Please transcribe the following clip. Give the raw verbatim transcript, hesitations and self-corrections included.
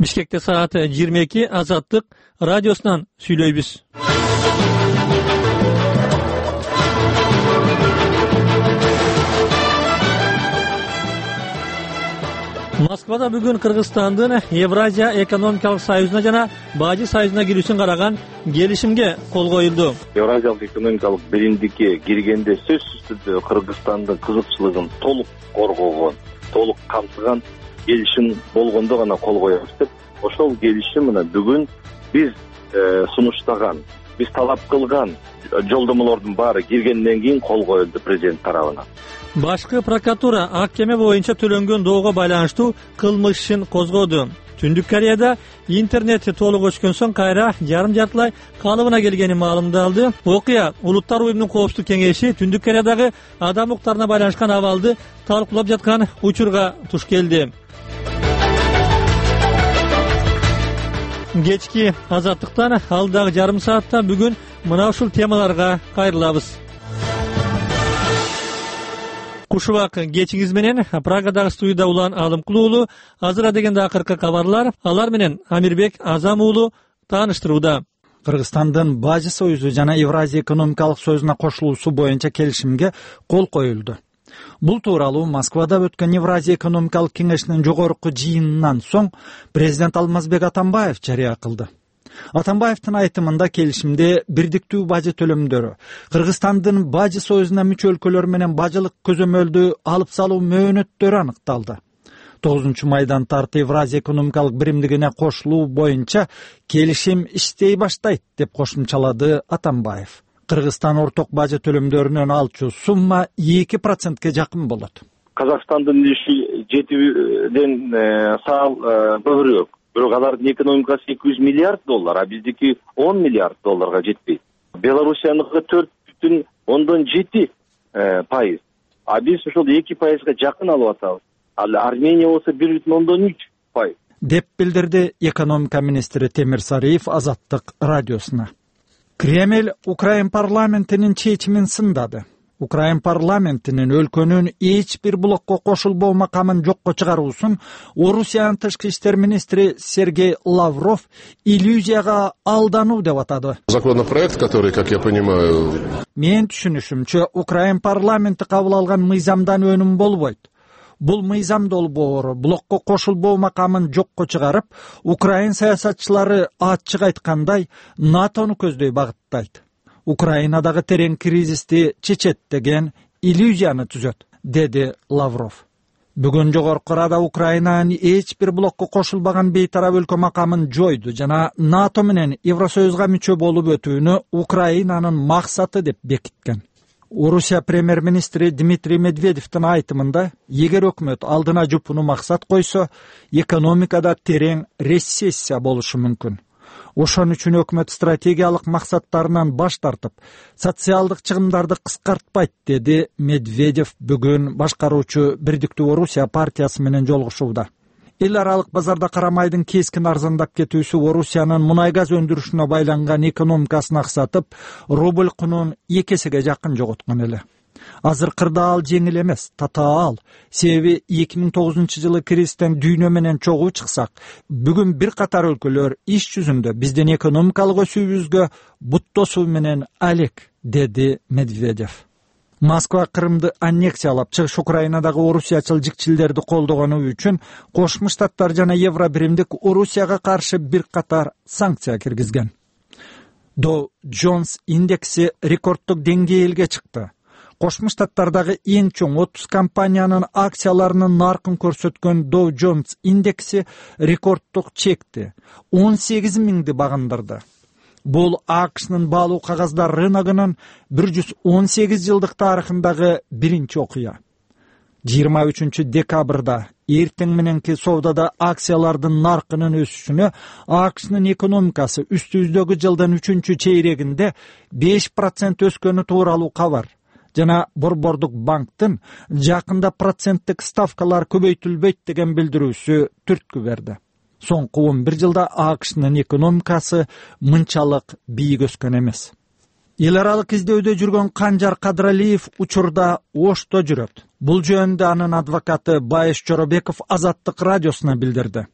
Бишкекте саат жыйырма эки. Азаттык радиосунан сүйлөйбүз. Москвада бүгүн Кыргызстандын Евразия экономикалык союзуна жана Бажы союзуна кирүүсүн караган келишимге кол коюлду. Евразиялык экономикалык биримдикке киргенде сөзсүз түрдө Кыргызстандын кызыкчылыгын толук коргогон, толук камтыган келишим болгондо гана кол коебуз деп, ошол келишим мына бүгүн биз сунуштаган, биз талап кылган жолдомолордун баары киргенден кийин кол коюлду президент тарабынан. Башкы прокуратура Аккеме боюнча төлөнгөн доого байланыштуу кылмыш ишин козгоду. Түндүк Кореяда интернет толук өчкөн соң кайра жарым жартылай калыбына келгени маалымдалды. Окуя Улуттар уюмунун коопсуздук кеңеши Түндүк Кореядагы адам укуктарына байланышкан абалды талкуулап жаткан учурга туш келди. Кечки Азаттыктан алдагы жарым саатта бүгүн мына ушул темаларга кайрылабыз. Кушубак кечиңиз менен Прагадагы студияда Улан Алымкул уулу. Азыр дегенде акыркы кабарлар. Алар менен Амирбек Азам уулу тааныштырууда. Кыргызстандын Бажы союзу жана Евразия экономикалык союзуна кошулуусу боюнча келишимге кол коюлду. Бул тууралуу Москвада өткөн Евразия экономикалык кеңешинин жогорку жыйынынан соң президент Алмазбек Атамбаев жарыя кылды. Атамбаевдин айтымында келишимде бирдиктүү бажы төлөмдөрү, Кыргызстандын Бажы союзуна мүчө өлкөлөр менен бажылык көзөмөлдү алып салуу мөөнөттөрү аныкталды. тогузунчу майдан тарты Евразия экономикалык биримдигине кошулуу боюнча келишим иштей баштайт деп кошумчалады Атамбаев. Кыргызстан орток бажы төлөмдөрүнөн алчу сумма эки процентке жакын болот. Казакстандын иши жетиден саал көбүрөөк. Бирок алардын экономикасы эки жүз миллиард доллар, а биздики он миллиард долларга жетпейт. Белоруссияныкы төрт бүтүн ондон жети пайыз. А биз ошол эки пайызга жакын алып атабыз. Ал Армения болсо бир бүтүн ондон үч пайыз. Деп билдирди экономика министри Темир Сариев Азаттык радиосуна. Кремль Украин парламентинин чечимин сындады. Украин парламентинин өлкөнүн эч бир блокко кошулбоо макамын жокко чыгаруусун Орусиянын тышкы иштер министри Сергей Лавров иллюзияга алдануу деп атады. Законопроект, который, как я понимаю, Мен түшүнүшүмчө, Украин парламенти кабыл алган мыйзамдан өнүм болбойт. Бул мыйзам долбоору блокко кошулбоо макамын жокко чыгарып, Украин саясатчылары ачык айткандай НАТОну көздөй багыттайт. Украинадагы терең кризисти чечет деген иллюзияны түзөт, деди Лавров. Бүгүн жогорку Рада Украинанын эч бир блокко кошулбаган бейтарап өлкө макамын жойду жана НАТО менен Евросоюзга мүчө болуп өтүүнү Украинанын максаты деп бекиткен. Орусия премьер-министри Дмитрий Медведевдин айтымында, эгер өкмөт алдына жупуну максат койсо, экономикада терең рецессия болушу мүмкүн. Ошон үчүн өкмөт стратегиялык максаттарынан баш тартып, социалдык чыгымдарды кыскартпайт, деди Медведев бүгүн башкаруучу Бирдиктүү Орусия партиясы менен жолугушууда. Эл аралык базарда карамайдын кескин арзандап кетүүсү Орусиянын мунай газ өндүрүшүнө байланган экономикасын аксатып, рубль кунун эки эсеге жакын жоготкон эле. Азыркырда ал жеңил эмес, татаал. Себеби эки миң тогузунчу жылы кризистен дүйнө менен чогуу чыксак, бүгүн бир катар өлкөлөр иш жүзүндө биздин экономикалык өсүүбүзгө буттосуу менен алек, деди Медведев. Москва Крымды аннексиялап, чыгыш Украинадагы орусиячыл жикчилдерди колдогону үчүн Кошмо Штаттар жана Евро биримдик Орусияга каршы бир катар санкция киргизген. Dow Jones индекси рекордтук деңгээлге чыкты. Кошмо Штаттардагы эң чоң отуз компаниянын акцияларынын наркын көрсөткөн Dow Jones индекси рекордтук чекти он сегиз миңди багындырды. Бул АКШнын баалуу кагаздар рыногунун бир жүз он сегиз жылдык тарыхындагы биринчи окуя. жыйырма үчүнчү декабрда эртең мененки соодада акциялардын наркынын өсүшүнө АКШнын экономикасы үстүбүздөгү жылдын үчүнчү чейрегинде беш процент өскөнү тууралуу кабар жана Борбордук банктын жакында проценттик ставкалар көбөйтүлбөйт деген билдирүүсү түрткү берди. Соңку он бир жылда АКШнын экономикасы мынчалык бийик өскөн эмес. Эл аралык издөөдө жүргөн Канжар Кадралиев учурда Ошто жүрөт. Бул жөнүндө анын адвокаты Байыш Жоробеков Азаттык радиосуна билдирди.